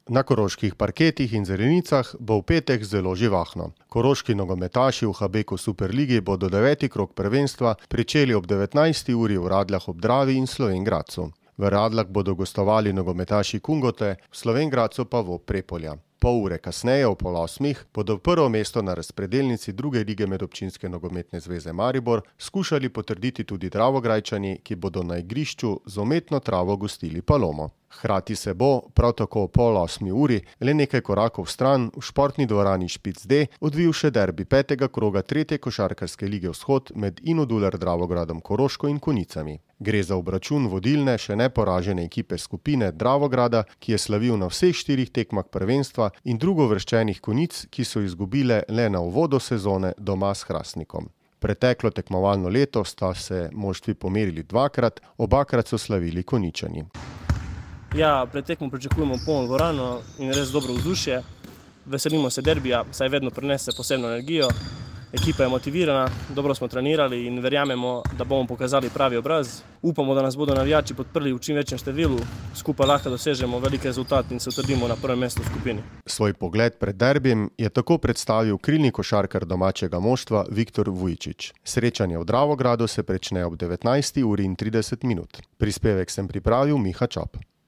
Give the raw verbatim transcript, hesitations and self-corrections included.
Na koroških parketih in zelenicah bo v petek zelo živahno. Koroški nogometaši v Habeku Superligi bodo deveti krog prvenstva pričeli ob devetnajsti uri v Radljah ob Dravi in Slovenj Gradcu. V Radljah bodo gostovali nogometaši Kungote, v Slovenj Gradcu pa v Prepolja. Pol ure kasneje, ob pol osmih, bodo prvo mesto na razpredelnici druge lige Medobčinske nogometne zveze Maribor skušali potrditi tudi Dravograjčani, ki bodo na igrišču z umetno travo gostili Palomo. Hkrati se bo, prav tako ob pol osmi uri, le nekaj korakov stran v športni dvorani Špic D odvil še derbi petega kroga tretje košarkarske lige Vzhod med Inodular Dravogradom Koroško in Konjicami. Gre za obračun vodilne, še neporažene ekipe skupine Dravograda, ki je slavil na vseh štirih tekmah prvenstva, in drugovrščenih Konjic, ki so izgubile le na uvodu sezone doma s Hrastnikom. Preteklo tekmovalno leto sta se moštvi pomerili dvakrat, obakrat so slavili Konjičani. Ja, pred tekmo pričakujemo polno dvorano in res dobro vzdušje. Veselimo se derbija, saj vedno prinese posebno energijo. Ekipa je motivirana, dobro smo trenirali in verjamemo, da bomo pokazali pravi obraz. Upamo, da nas bodo navijači podprli v čim večjem številu, skupaj lahko dosežemo velik rezultat in se utrdimo na prvem mestu v skupini. Svoj pogled pred derbijem je tako predstavil krilni košarkar domačega moštva Viktor Vujčič. Srečanje v Dravogradu se prične ob devetnajsti uri in trideset minut. Prispevek sem pripravil Miha Čop.